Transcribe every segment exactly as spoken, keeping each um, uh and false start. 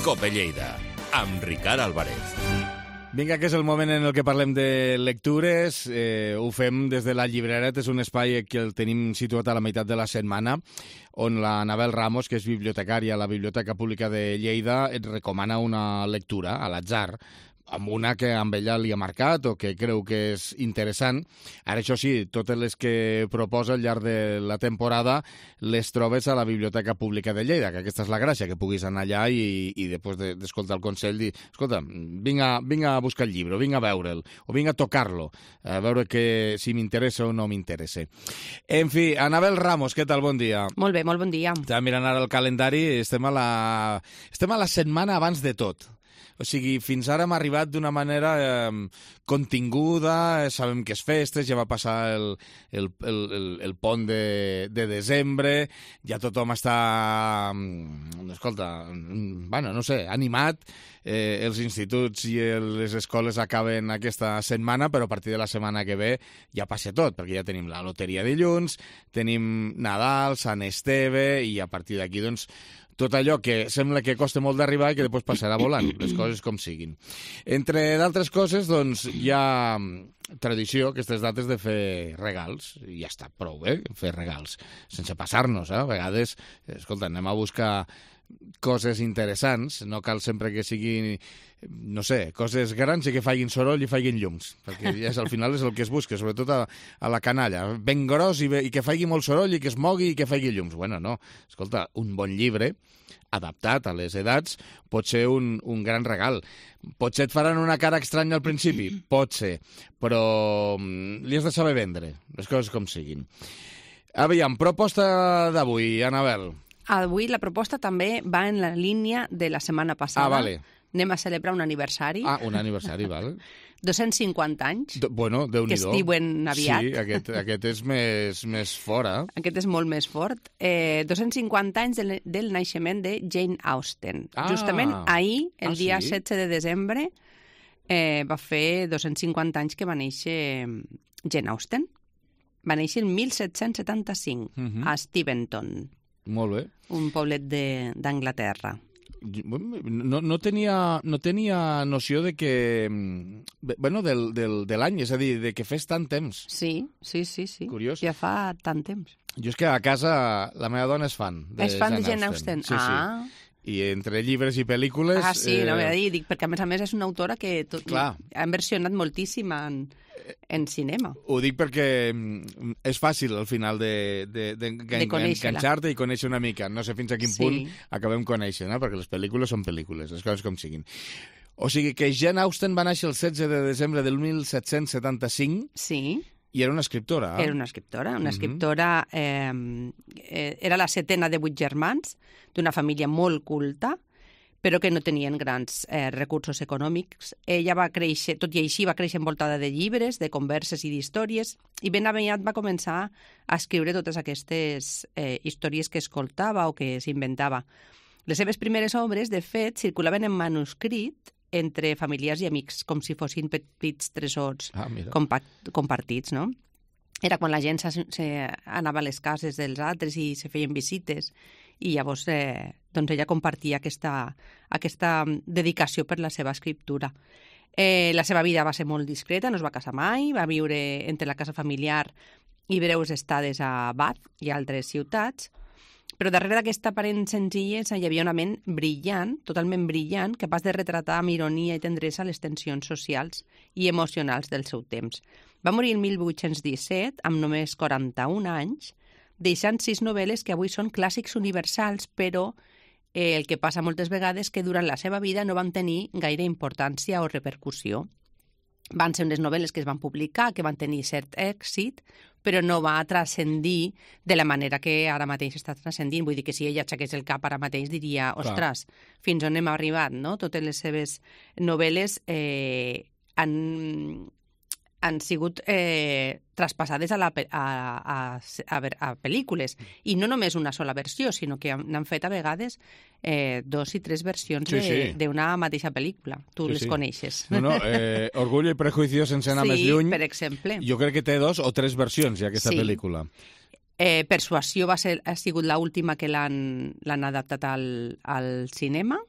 Cope Lleida, amb Ricard Álvarez. Vinga, que és el moment en el que parlem de lectures. Eh, ho fem des de la Llibreret, és un espai que el tenim situat a la meitat de la setmana, on la Anabel Ramos, que és bibliotecària a la Biblioteca Pública de Lleida, et recomana una lectura a l'atzar, amb una que amb ella li ha marcat o que creu que és interessant. Ara, això sí, totes les que proposa al llarg de la temporada les trobes a la Biblioteca Pública de Lleida, que aquesta és la gràcia, que puguis anar allà i, i després d'escoltar el consell dir, escolta, vinga, vinga a buscar el llibre, vinga a veure'l, o vinga a tocar-lo, a veure que, si m'interessa o no m'interessa. En fi, Anabel Ramos, què tal? Bon dia. Molt bé, molt bon dia. Estava mirant ara el calendari, estem a la, estem a la setmana abans de tot. O sigui, fins ara hem arribat d'una manera eh, continguda, eh, sabem que és festes, ja va passar el, el, el, el, el pont de, de desembre, ja tothom està, escolta, bueno, no sé, animat, eh, els instituts i les escoles acaben aquesta setmana, però a partir de la setmana que ve ja passa tot, perquè ja tenim la loteria dilluns, tenim Nadal, Sant Esteve, i a partir d'aquí, doncs, tot allò que sembla que costa molt d'arribar i que després passarà volant, les coses com siguin. Entre d'altres coses, doncs, hi ha tradició, aquestes dates, de fer regals, i ja està prou bé, fer regals, sense passar-nos, eh? A vegades, escolta, anem a buscar coses interessants, no cal sempre que siguin, no sé, coses grans i que facin soroll i facin llums, perquè ja és, al final és el que es busca, sobretot a, a la canalla, ben gros i, be, i que faci molt soroll i que es mogui i que faci llums. Bueno, no, escolta, un bon llibre adaptat a les edats pot ser un, un gran regal. Potser et faran una cara estranya al principi, pot ser, però li has de saber vendre, les coses com siguin. Aviam, proposta d'avui, Anabel. Avui la proposta també va en la línia de la setmana passada. Ah, vale. Anem a celebrar un aniversari. Ah, un aniversari, val. dos-cents cinquanta anys. Do, bueno, Déu-n'hi-do. Que es diuen aviat. Sí, aquest, aquest és més, més fora. Aquest és molt més fort. Eh, dos-cents cinquanta anys del, del naixement de Jane Austen. Ah. Justament ahir, el Ah, dia sí? setze de desembre, eh, va fer dos-cents cinquanta anys que va néixer Jane Austen. Va néixer el mil set-cents setanta-cinc, Uh -huh. a Steventon, Molt bé. un poblet d'Anglaterra. No, no, tenia, no tenia noció de que... Bueno, del, del, de l'any, és a dir, de que fes tant temps. Sí, sí, sí, sí. Curiós. Ja fa tant temps. Jo és que a casa la meva dona és fan de És fan de Jane Jane Austen. Sí, ah. sí. I entre llibres i pel·lícules... Ah, sí, eh... no m'he de dir, dic, perquè a més a més és una autora que tot, Clar. han versionat moltíssim en, en cinema. Ho dic perquè és fàcil al final de, de, de, de, De conèixer-la. enganxar-te i conèixer una mica. No sé fins a quin Sí. punt acabem coneixent, eh? Perquè les pel·lícules són pel·lícules, les coses com siguin. O sigui que Jane Austen va néixer el setze de desembre del mil set-cents setanta-cinc Sí, i era una escriptora. Eh? era una escriptora. Una Mhm. escriptora... Eh, eh, era la setena de vuit germans, d'una família molt culta, però que no tenien grans eh, recursos econòmics. Ella va créixer, tot i així, va créixer envoltada de llibres, de converses i d'històries, i ben aviat va començar a escriure totes aquestes eh, històries que escoltava o que s'inventava. Les seves primeres obres, de fet, circulaven en manuscrit entre familiars i amics, com si fossin petits tresors Ah, mira. compa compartits, no? Era quan la gent se, se anava a les cases dels altres i se feien visites, i llavors eh, doncs ella compartia aquesta, aquesta dedicació per la seva escriptura. Eh, la seva vida va ser molt discreta, no es va casar mai, va viure entre la casa familiar i breus estades a Bath i altres ciutats, però darrere d'aquesta aparent senzillesa hi havia una ment brillant, totalment brillant, capaç de retratar amb ironia i tendresa les tensions socials i emocionals del seu temps. Va morir el mil vuit-cents disset, amb només quaranta-un anys, deixant sis novel·les que avui són clàssics universals, però eh, el que passa moltes vegades que durant la seva vida no van tenir gaire importància o repercussió. Van ser unes novel·les que es van publicar, que van tenir cert èxit, però no va transcendir de la manera que ara mateix està transcendint. Vull dir que si ella aixequés el cap ara mateix diria, ostres, fins on hem arribat, no? Totes les seves novel·les eh, han, han sigut eh, traspassades a, la, a, a, a, a pel·lícules. I no només una sola versió, sinó que n'han fet a vegades eh, dos i tres versions Sí, sí. d'una mateixa pel·lícula. Tu Sí, les sí. coneixes. No, no, eh, Orgullo i Prejuicio, sense anar sí, més lluny, per exemple. jo crec que té dos o tres versions, ja, aquesta Sí. pel·lícula. Eh, Persuasió va ser, ha sigut l'última que l'han l'han adaptat al, al cinema.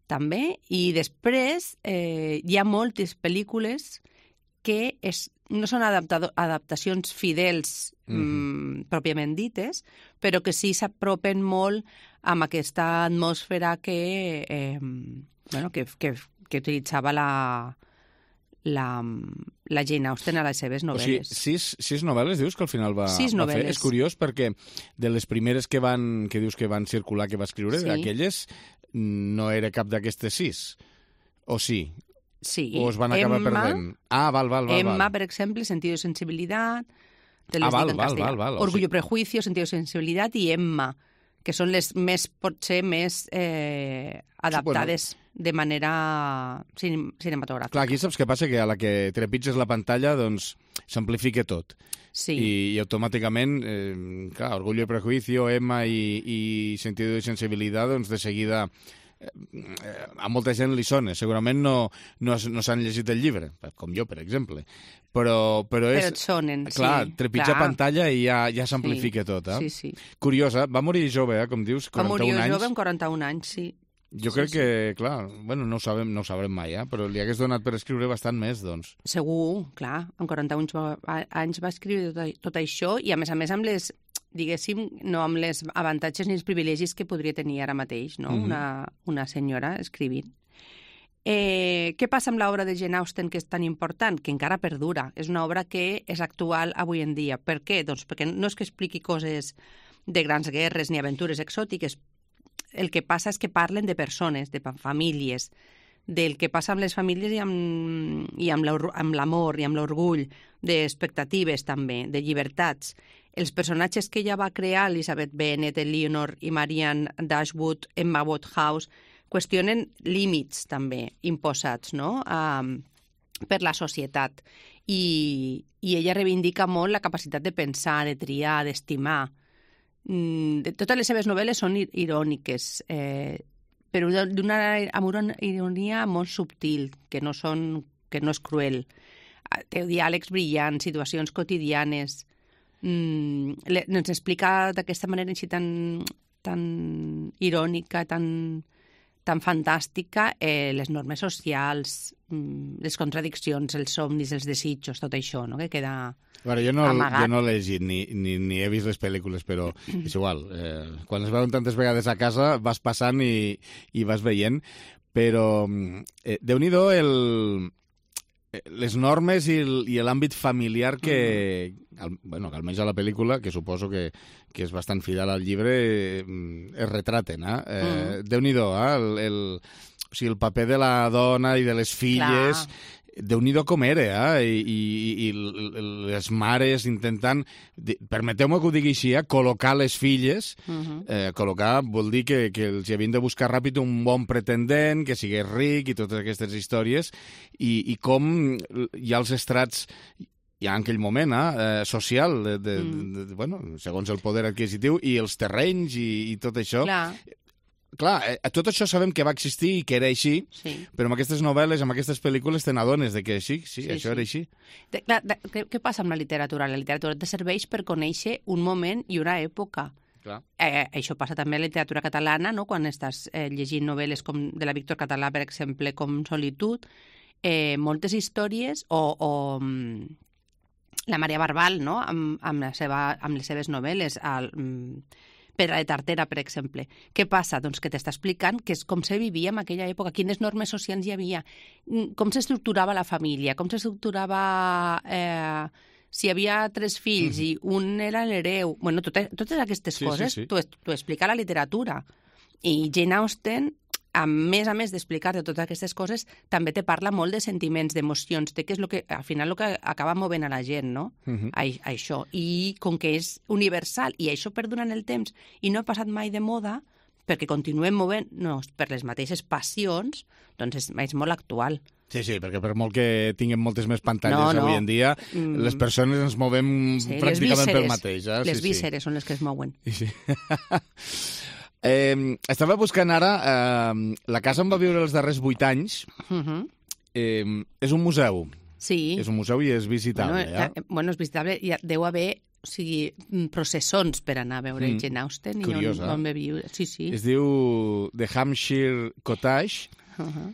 també, i després eh, hi ha moltes pel·lícules que és, no són adaptado, adaptacions fidels mm-hmm. mm, pròpiament dites, però que sí s'apropen molt amb aquesta atmosfera que, eh, bueno, que, que, que utilitzava la, la, la Jane Austen a les seves novel·les. O sigui, sis, sis novel·les dius que al final va, sis va novel·les. fer? És curiós perquè de les primeres que van, que dius que van circular, que va escriure, Sí. aquelles no era cap d'aquestes sis. O sí? Sí. O es van acabar Emma, perdent? Ah, val, val, val. Emma, val. per exemple, Sentido de Sensibilidad, te les Ah, val, dic en val, castellà. val, val, o Orgullo, sigui- Prejuicio, Sentido de Sensibilidad i Emma, que són les més, potser, més eh, adaptades de manera cin cinematogràfica. Clar, aquí saps què passa? Que a la que trepitges la pantalla, doncs, s'amplifica tot. Sí. I, i automàticament, eh, clar, Orgullo y Prejuicio, Emma i, i Sentido de Sensibilidad, doncs de seguida eh, a molta gent li sona. Segurament no, no, no s'han llegit el llibre, com jo, per exemple. Però, però és... Però et sonen, clar, sí. trepitja clar. pantalla i ja, ja s'amplifica Sí, tot, eh? Sí, sí. Curiosa, va morir jove, eh, com dius, Va morir quaranta-un anys. jove amb quaranta-un anys, sí. Jo Sí, crec sí. que, clar, bueno, no ho sabem, no ho sabrem mai, eh? Però li hagués donat per escriure bastant més, doncs. Segur, clar, amb quaranta-un anys va, anys va escriure tot, tot això i, a més a més, amb les, diguéssim, no amb les avantatges ni els privilegis que podria tenir ara mateix, no? Mhm. una, una senyora escrivint. Eh, què passa amb l'obra de Jane Austen, que és tan important, que encara perdura? És una obra que és actual avui en dia. Per què? Doncs perquè no és que expliqui coses de grans guerres ni aventures exòtiques. El que passa és que parlen de persones, de famílies, del que passa amb les famílies i amb, i amb l'amor i amb l'orgull, d'expectatives també, de llibertats. Els personatges que ella va crear, Elizabeth Bennet, Eleanor i Marianne Dashwood, Emma Woodhouse, qüestionen límits també imposats, no?, um, per la societat. I, I ella reivindica molt la capacitat de pensar, de triar, d'estimar. Mm, de, totes les seves novel·les són iròniques, eh, però d'una amb una ironia molt subtil, que no, són, que no és cruel. Té diàlegs brillants, situacions quotidianes. Mm, le, ens explica d'aquesta manera així tan, tan irònica, tan, tan fantàstica, eh, les normes socials, mm, les contradiccions, els somnis, els desitjos, tot això, no?, que queda... Bueno, jo no, amagat. jo no l'he llegit ni, ni, ni he vist les pel·lícules, però és igual. Eh, quan es veuen tantes vegades a casa vas passant i, i vas veient, però eh, Déu-n'hi-do el, les normes i l'àmbit familiar que, al, bueno, que almenys a la pel·lícula, que suposo que, que és bastant fidel al llibre, eh, es retraten. Eh? Eh, mm. Déu-n'hi-do, eh? el, el, o sigui, el paper de la dona i de les filles... Clar. Déu-n'hi-do com era, eh? I, i, i les mares intentant, permeteu-me que ho digui així, eh? col·locar les filles, uh-huh. eh, col·locar vol dir que, que els havien de buscar ràpid un bon pretendent, que sigués ric i totes aquestes històries, i, i com hi ha els estrats ja en aquell moment, eh, social, de, de, mm. de, de, bueno, segons el poder adquisitiu, i els terrenys i, i tot això. Clar. Clar, eh, tot això sabem que va existir i que era així, sí. però amb aquestes novel·les, amb aquestes pel·lícules, te n'adones de que sí, sí, sí això sí. era així. De, clar, de, què, què passa amb la literatura? La literatura te serveix per conèixer un moment i una època. Clar. Eh, això passa també a la literatura catalana, no?, quan estàs eh, llegint novel·les com de la Víctor Català, per exemple, com Solitud, eh, moltes històries, o, o la Maria Barbal, no?, amb, amb, la seva, amb les seves novel·les, al... Pedra de Tartera, per exemple. Què passa? Doncs que t'està explicant que és com se vivia en aquella època, quines normes socials hi havia, com s'estructurava la família, com s'estructurava... Eh, si hi havia tres fills mm-hmm. i un era l'hereu... Bueno, totes, totes aquestes sí, coses sí, sí. t'ho explica la literatura. I Jane Austen, a més a més d'explicar-te totes aquestes coses, també te parla molt de sentiments, d'emocions, de què és el que, al final, el que acaba movent a la gent, no? Uh-huh. A, a això. I com que és universal, i això perdura en el temps, i no ha passat mai de moda, perquè continuem movent-nos per les mateixes passions, doncs és, és molt actual. Sí, sí, perquè per molt que tinguem moltes més pantalles no, no. avui en dia, mm. les persones ens movem sí, pràcticament pel mateix. Eh? Les sí, vísceres sí. són les que es mouen. Sí. Eh, estava buscant ara, eh, la casa on va viure els darrers vuit anys, uh-huh. eh, és un museu. Sí. És un museu i és visitable. Bueno, eh? bueno és visitable. Hi deu haver o sigui, processons per anar a veure mm. Jane Austen. Curiós, i on, eh? on va viure. Sí, sí. Es diu The Hampshire Cottage, Uh-huh.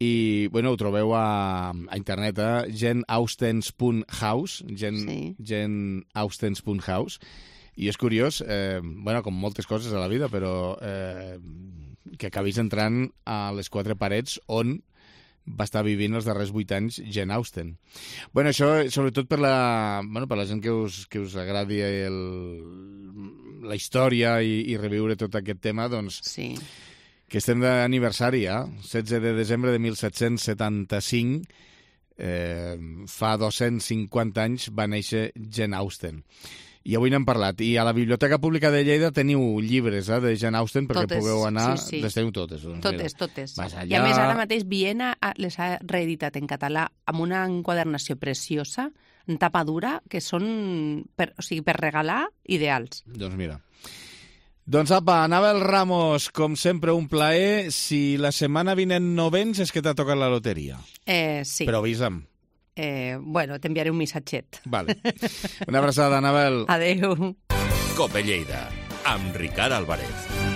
i bueno, ho trobeu a, a internet, eh? janeaustens punt house, Jane, Sí. janeaustens punt house, i és curiós, eh, bueno, com moltes coses a la vida, però eh, que acabis entrant a les quatre parets on va estar vivint els darrers vuit anys Jane Austen. Bueno, això sobretot per la, bueno, per la gent que us, que us agradi el, la història i, i reviure tot aquest tema, doncs Sí. que estem d'aniversari, eh? setze de desembre de mil set-cents setanta-cinc, eh, fa dos-cents cinquanta anys va néixer Jane Austen. I avui n'hem parlat. I a la Biblioteca Pública de Lleida teniu llibres eh, de Jane Austen perquè Totes, pugueu anar... sí, sí. Les teniu totes. Doncs, mira. Totes, totes. Vas allà... I a més, ara mateix Viena ha- les ha reeditat en català amb una enquadernació preciosa, en tapa dura, que són, per, o sigui, per regalar, ideals. Doncs mira. Doncs apa, Anabel Ramos, com sempre, un plaer. Si la setmana vinent no vens és que t'ha tocat la loteria. Eh, sí. Però avisa'm. Eh, bueno, t'enviaré un missatget. Vale. Una abraçada, Anabel. Adéu. Cope Lleida, amb Ricard Álvarez.